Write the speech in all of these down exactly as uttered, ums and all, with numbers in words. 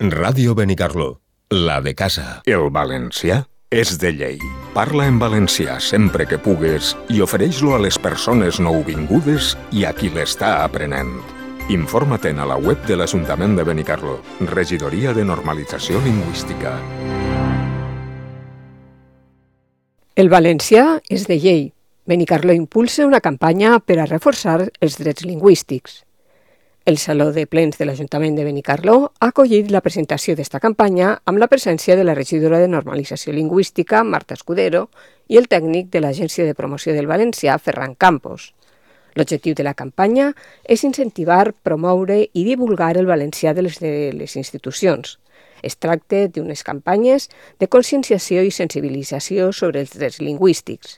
Ràdio Benicarló, la de casa. El valencià és de llei. Parla en valencià sempre que pugues i ofereix-lo a les persones nouvingudes i a qui l'està aprenent. Informa-te'n a la web de l'Ajuntament de Benicarló, Regidoria de Normalització Lingüística. El valencià és de llei. Benicarló impulsa una campanya per a reforçar els drets lingüístics. El Saló de Plens de l'Ajuntament de Benicarló ha acollit la presentació d'esta campanya amb la presència de la regidora de Normalització Lingüística, Marta Escudero, i el tècnic de l'Agència de Promoció del Valencià, Ferran Campos. L'objectiu de la campanya és incentivar, promoure i divulgar el valencià de les, de les institucions. Es tracta d'unes campanyes de conscienciació i sensibilització sobre els drets lingüístics.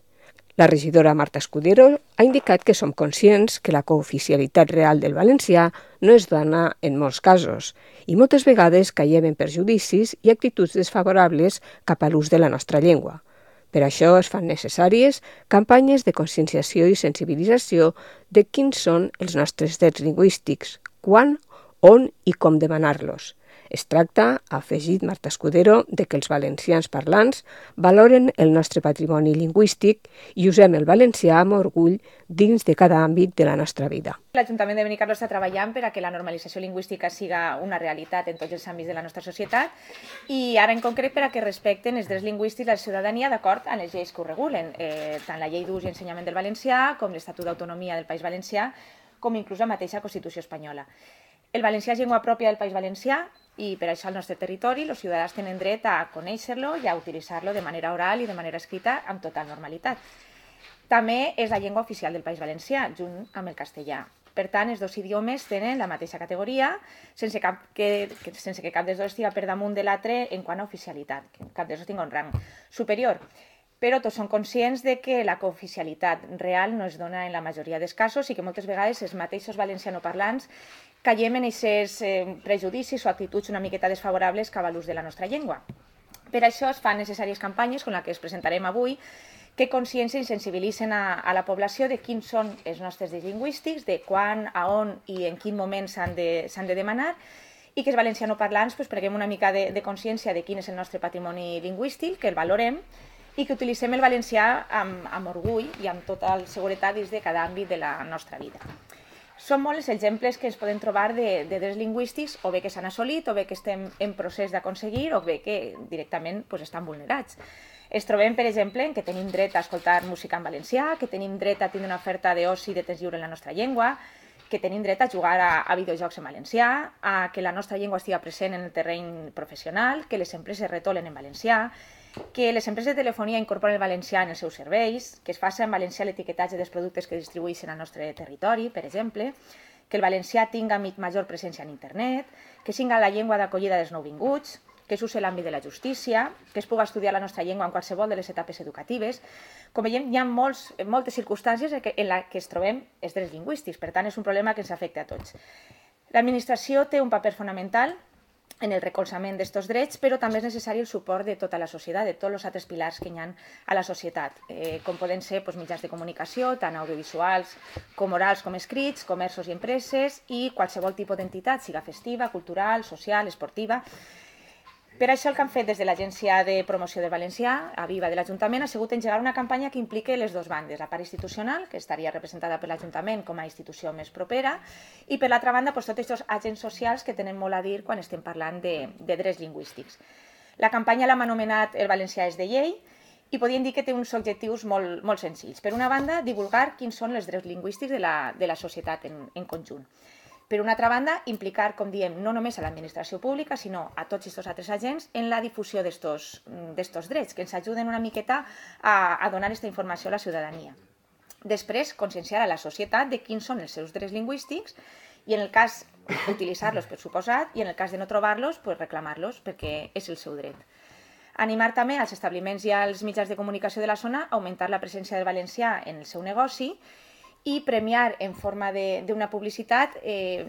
La regidora Marta Escudero ha indicat que som conscients que la cooficialitat real del valencià no es dona en molts casos i moltes vegades caiem en perjudicis i actituds desfavorables cap a l'ús de la nostra llengua. Per això es fan necessàries campanyes de conscienciació i sensibilització de quins són els nostres drets lingüístics, quan, on i com demanar-los. Es tracta, ha afegit Marta Escudero, de que els valencians parlants valoren el nostre patrimoni lingüístic i usem el valencià amb orgull dins de cada àmbit de la nostra vida. L'Ajuntament de Benicarló està treballant per a que la normalització lingüística siga una realitat en tots els àmbits de la nostra societat i ara en concret per a que respecten els drets lingüístics de la ciutadania d'acord amb les lleis que ho regulen, eh, tant la llei d'ús i ensenyament del valencià com l'Estatut d'Autonomia del País Valencià com inclús la mateixa Constitució espanyola. El valencià és llengua pròpia del País Valencià i per això al nostre territori els ciutadans tenen dret a conèixer-lo i a utilitzar-lo de manera oral i de manera escrita amb total normalitat. També és la llengua oficial del País Valencià, junt amb el castellà. Per tant, els dos idiomes tenen la mateixa categoria, sense, cap que, sense que cap dels dos estigui per damunt de l'altre en quant a oficialitat, que cap dels dos tingui un rang superior. Però tots són conscients de que la cooficialitat real no es dona en la majoria dels casos i que moltes vegades els mateixos valencianoparlants caiem en aquests eh, prejudicis o actituds una miqueta desfavorables cap a l'ús de la nostra llengua. Per això es fan necessàries campanyes, com la que es presentarem avui, que consciencien i sensibilitzen a, a la població de quins són els nostres drets lingüístics, de quan, a on i en quin moment s'han de, s'han de demanar, i que els valencianoparlants pues, preguem una mica de, de consciència de quin és el nostre patrimoni lingüístic, que el valorem, i que utilitzem el valencià amb, amb orgull i amb tota la seguretat dins de cada àmbit de la nostra vida. Són molts els exemples que ens podem trobar de, de drets lingüístics, o bé que s'han assolit, o bé que estem en procés d'aconseguir, o bé que directament pues, estan vulnerats. Es trobem, per exemple, que tenim dret a escoltar música en valencià, que tenim dret a tenir una oferta d'oci i de temps lliure en la nostra llengua, que tenim dret a jugar a, a videojocs en valencià, a que la nostra llengua estigui present en el terreny professional, que les empreses retolen en valencià, que les empreses de telefonia incorporen el valencià en els seus serveis, que es faci en valencià l'etiquetatge dels productes que distribueixen al nostre territori, per exemple, que el valencià tinga major presència en internet, que siga la llengua d'acollida dels nouvinguts, que s'usi l'àmbit de la justícia, que es pugui estudiar la nostra llengua en qualsevol de les etapes educatives. Com veiem, hi ha molts, moltes circumstàncies en les que es trobem els drets lingüístics, per tant és un problema que ens afecta a tots. L'administració té un paper fonamental en el recolzament d'aquests drets, però també és necessari el suport de tota la societat, de tots els altres pilars que hi ha a la societat, eh, com poden ser doncs, mitjans de comunicació, tant audiovisuals com orals com escrits, comerços i empreses, i qualsevol tipus d'entitat, siga festiva, cultural, social, esportiva. Per això el que han fet des de l'Agència de Promoció del Valencià, a Viva de l'Ajuntament, ha sigut engegar una campanya que impliqui les dues bandes, la part institucional, que estaria representada per l'Ajuntament com a institució més propera, i per l'altra banda doncs, tots aquests agents socials que tenen molt a dir quan estem parlant de, de drets lingüístics. La campanya l'hem anomenat El valencià és de llei i podríem dir que té uns objectius molt, molt senzills. Per una banda, divulgar quins són els drets lingüístics de la, de la societat en, en conjunt. Per una altra banda, implicar, com diem, no només a l'administració pública, sinó a tots aquests altres agents en la difusió d'aquests drets, que ens ajuden una miqueta a, a donar aquesta informació a la ciutadania. Després, conscienciar a la societat de quins són els seus drets lingüístics i, en el cas, utilitzar-los per suposat, i en el cas de no trobar-los, pues, reclamar-los, perquè és el seu dret. Animar també als establiments i als mitjans de comunicació de la zona a augmentar la presència del valencià en el seu negoci i premiar en forma d'una publicitat eh,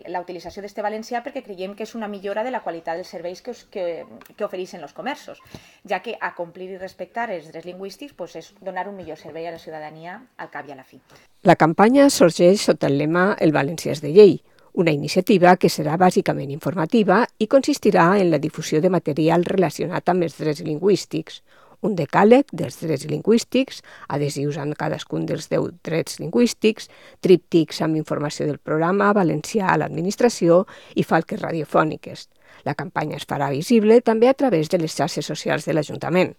la utilització d'este valencià perquè creiem que és una millora de la qualitat dels serveis que, que, que ofereixen els comerços, ja que a complir i respectar els drets lingüístics pues, és donar un millor servei a la ciutadania al cap i a la fi. La campanya sorgeix sota el lema El valencià és de llei, una iniciativa que serà bàsicament informativa i consistirà en la difusió de material relacionat amb els drets lingüístics, un decàleg dels drets lingüístics, adhesius amb cadascun dels deu drets lingüístics, tríptics amb informació del programa valencià a l'administració i falques radiofòniques. La campanya es farà visible també a través de les xarxes socials de l'Ajuntament.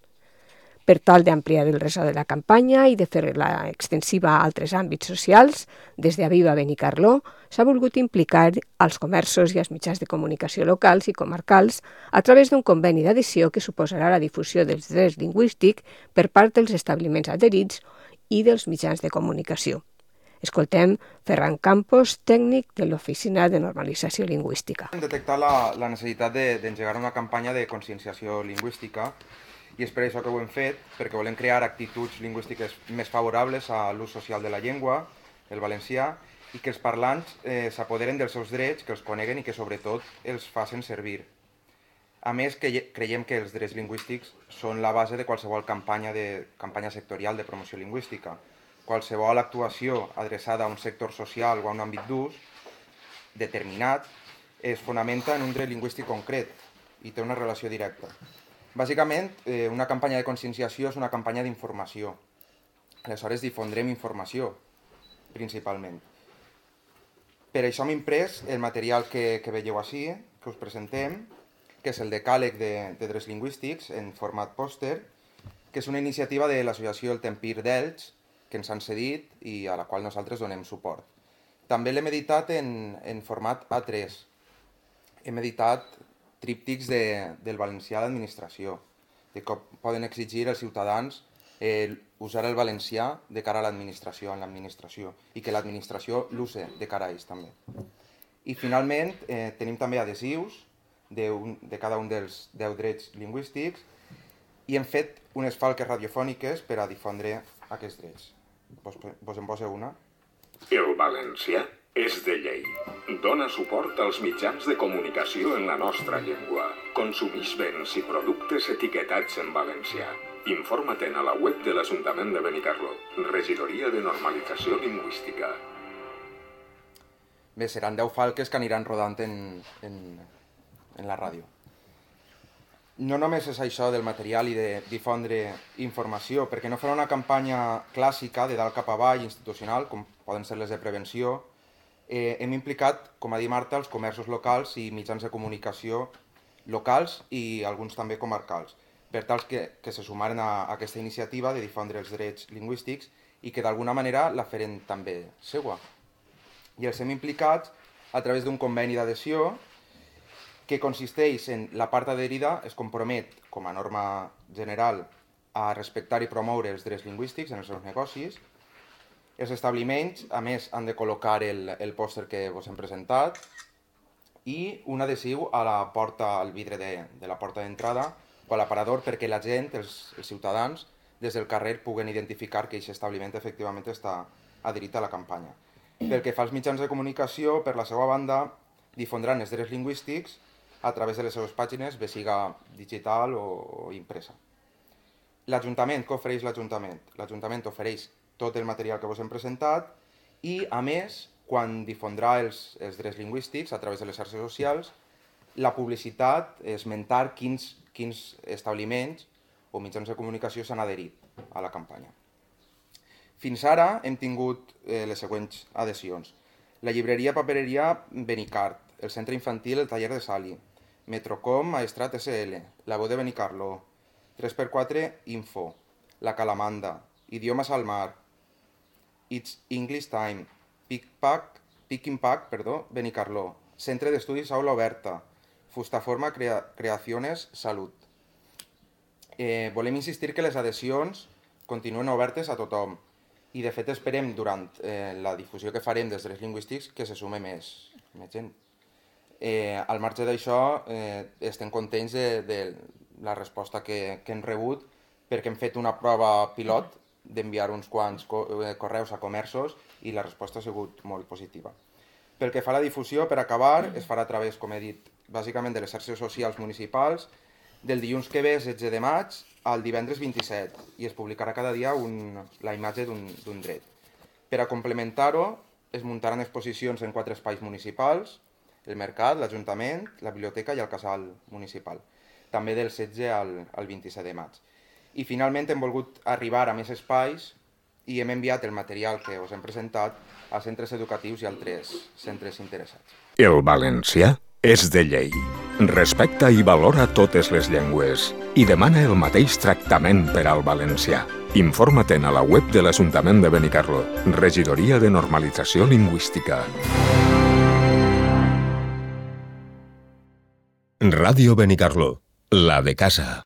Per tal d'ampliar el ressò de la campanya i de fer-la extensiva a altres àmbits socials, des d'Aviva Benicarló s'ha volgut implicar als comerços i als mitjans de comunicació locals i comarcals a través d'un conveni d'adhesió que suposarà la difusió dels drets lingüístics per part dels establiments adherits i dels mitjans de comunicació. Escoltem Ferran Campos, tècnic de l'Oficina de Normalització Lingüística. Hem detectat la, la necessitat d'engegar una campanya de conscienciació lingüística i és per això que ho hem fet, perquè volem crear actituds lingüístiques més favorables a l'ús social de la llengua, el valencià, i que els parlants eh, s'apoderen dels seus drets, que els coneguen i que sobretot els facin servir. A més, que creiem que els drets lingüístics són la base de qualsevol campanya, de, campanya sectorial de promoció lingüística. Qualsevol actuació adreçada a un sector social o a un àmbit d'ús determinat es fonamenta en un dret lingüístic concret i té una relació directa. Bàsicament, eh, una campanya de conscienciació és una campanya d'informació. Aleshores, difondrem informació, principalment. Per això hem imprès el material que, que veieu així, que us presentem, que és el decàleg de, de drets lingüístics en format pòster, que és una iniciativa de l'associació El Tempir d'Elx, que ens han cedit i a la qual nosaltres donem suport. També l'hem editat en, en format A tres. Hem editat tríptics de, del valencià a l'administració, de com poden exigir els ciutadans eh, usar el valencià de cara a l'administració, en l'administració, i que l'administració l'use de cara a ells també. I finalment eh, tenim també adhesius de, un, de cada un dels deu drets lingüístics i hem fet unes falques radiofòniques per a difondre aquests drets. Vos, vos en poseu una? El valencià és de llei. Dona suport als mitjans de comunicació en la nostra llengua. Consumix béns i productes etiquetats en valencià. Informa-te'n a la web de l'Ajuntament de Benicarló. Regidoria de Normalització Lingüística. Bé, seran deu falques que aniran rodant en, en, en la ràdio. No només és això del material i de difondre informació, perquè no farà una campanya clàssica de dalt cap avall, institucional, com poden ser les de prevenció. Eh, hem implicat, com ha dit Marta, els comerços locals i mitjans de comunicació locals i alguns també comarcals, per tal que, que se sumaren a, a aquesta iniciativa de difondre els drets lingüístics i que d'alguna manera la feren també seua. I els hem implicat a través d'un conveni d'adhesió que consisteix en la part adherida es compromet, com a norma general, a respectar i promoure els drets lingüístics en els seus negocis. Els establiments, a més, han de col·locar el, el pòster que vos hem presentat i un adhesiu a la porta, al vidre de, de la porta d'entrada o a l'aparador perquè la gent, els, els ciutadans, des del carrer puguen identificar que aquest establiment efectivament està adherit a la campanya. Pel que fa als mitjans de comunicació, per la seva banda, difondran els drets lingüístics a través de les seves pàgines, bé siga digital o, o impresa. L'Ajuntament, què ofereix l'Ajuntament? L'Ajuntament ofereix tot el material que vos hem presentat i, a més, quan difondrà els, els drets lingüístics a través de les xarxes socials, la publicitat, esmentar quins, quins establiments o mitjans de comunicació s'han adherit a la campanya. Fins ara hem tingut eh, les següents adhesions. La llibreria papereria Benicart, el centre infantil El Taller de Sali, Metrocom Maestrat S L, la Veu de Benicarló, tres per quatre Info, La Calamanda, Idiomes al Mar, It's English Time, Pick-Pack, Pick-in-Pack, perdó, Benicarló, Centre d'Estudis Aula Oberta, Fustaforma Crea Creaciones Salut. Eh, volem insistir que les adhesions continuen obertes a tothom i de fet esperem durant eh, la difusió que farem dels drets lingüístics que se sume més, més gent. Eh, al marge d'això eh, estem contents de, de la resposta que, que hem rebut perquè hem fet una prova pilot d'enviar uns quants correus a comerços i la resposta ha sigut molt positiva. Pel que fa a la difusió, per acabar, es farà a través, com he dit, bàsicament de les xarxes socials municipals, del dilluns que ve, setze de maig, al divendres vint-i-set, i es publicarà cada dia un, la imatge d'un dret. Per a complementar-ho, es muntaran exposicions en quatre espais municipals, el Mercat, l'Ajuntament, la Biblioteca i el Casal Municipal, també del setze al, al vint-i-set de maig. I finalment hem volgut arribar a més espais i hem enviat el material que us hem presentat a centres educatius i altres centres interessats. El valencià és de llei. Respecta i valora totes les llengües i demana el mateix tractament per al valencià. Informa-te'n a la web de l'Ajuntament de Benicarló, Regidoria de Normalització Lingüística. Radio Benicarló, la de casa.